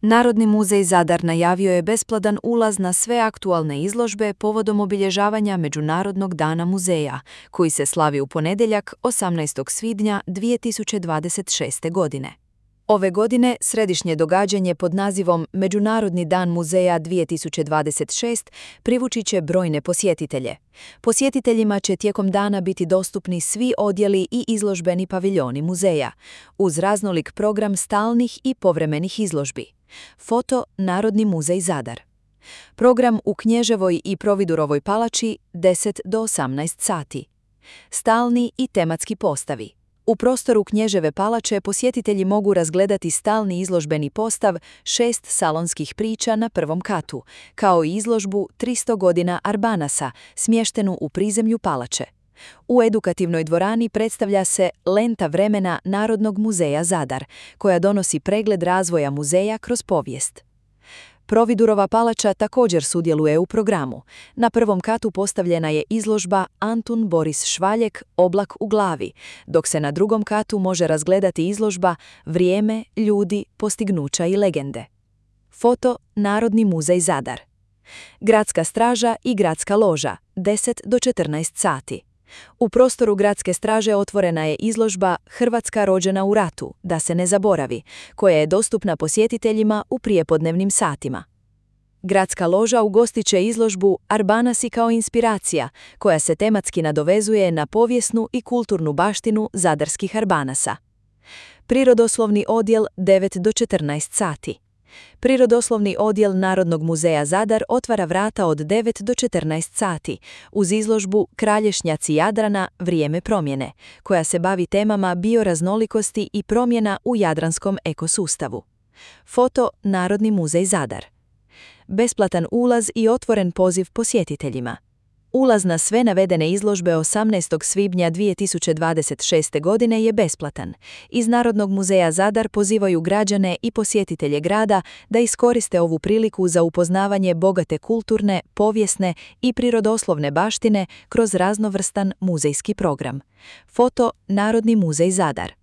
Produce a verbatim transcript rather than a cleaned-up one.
Narodni muzej Zadar najavio je besplatan ulaz na sve aktualne izložbe povodom obilježavanja Međunarodnog dana muzeja, koji se slavi u ponedjeljak osamnaestog svibnja dvije tisuće dvadeset šeste. godine. Ove godine središnje događanje pod nazivom Međunarodni dan muzeja dvije tisuće dvadeset šest privući će brojne posjetitelje. Posjetiteljima će tijekom dana biti dostupni svi odjeli i izložbeni paviljoni muzeja, uz raznolik program stalnih i povremenih izložbi. Foto Narodni muzej Zadar. Program u Knježevoj i Providurovoj palači deset do osamnaest sati. Stalni i tematski postavi. U prostoru Knježeve palače posjetitelji mogu razgledati stalni izložbeni postav šest salonskih priča na prvom katu, kao i izložbu tristo godina Arbanasa, smještenu u prizemlju palače. U edukativnoj dvorani predstavlja se Lenta vremena Narodnog muzeja Zadar, koja donosi pregled razvoja muzeja kroz povijest. Providurova palača također sudjeluje u programu. Na prvom katu postavljena je izložba Antun Boris Švaljek Oblak u glavi, dok se na drugom katu može razgledati izložba Vrijeme, ljudi, postignuća i legende. Foto Narodni muzej Zadar. Gradska straža i gradska loža deset do četrnaest sati. U prostoru Gradske straže otvorena je izložba Hrvatska rođena u ratu, da se ne zaboravi, koja je dostupna posjetiteljima u prijepodnevnim satima. Gradska loža ugostit će izložbu Arbanasi kao inspiracija, koja se tematski nadovezuje na povijesnu i kulturnu baštinu zadarskih Arbanasa. Prirodoslovni odjel devet do četrnaest sati. Prirodoslovni odjel Narodnog muzeja Zadar otvara vrata od devet do četrnaest sati uz izložbu Kralješnjaci Jadrana – vrijeme promjene, koja se bavi temama bioraznolikosti i promjena u jadranskom ekosustavu. Foto Narodni muzej Zadar. Besplatan ulaz i otvoren poziv posjetiteljima. Ulaz na sve navedene izložbe osamnaestog svibnja dvije tisuće dvadeset šeste. godine je besplatan. Iz Narodnog muzeja Zadar pozivaju građane i posjetitelje grada da iskoriste ovu priliku za upoznavanje bogate kulturne, povijesne i prirodoslovne baštine kroz raznovrstan muzejski program. Foto Narodni muzej Zadar.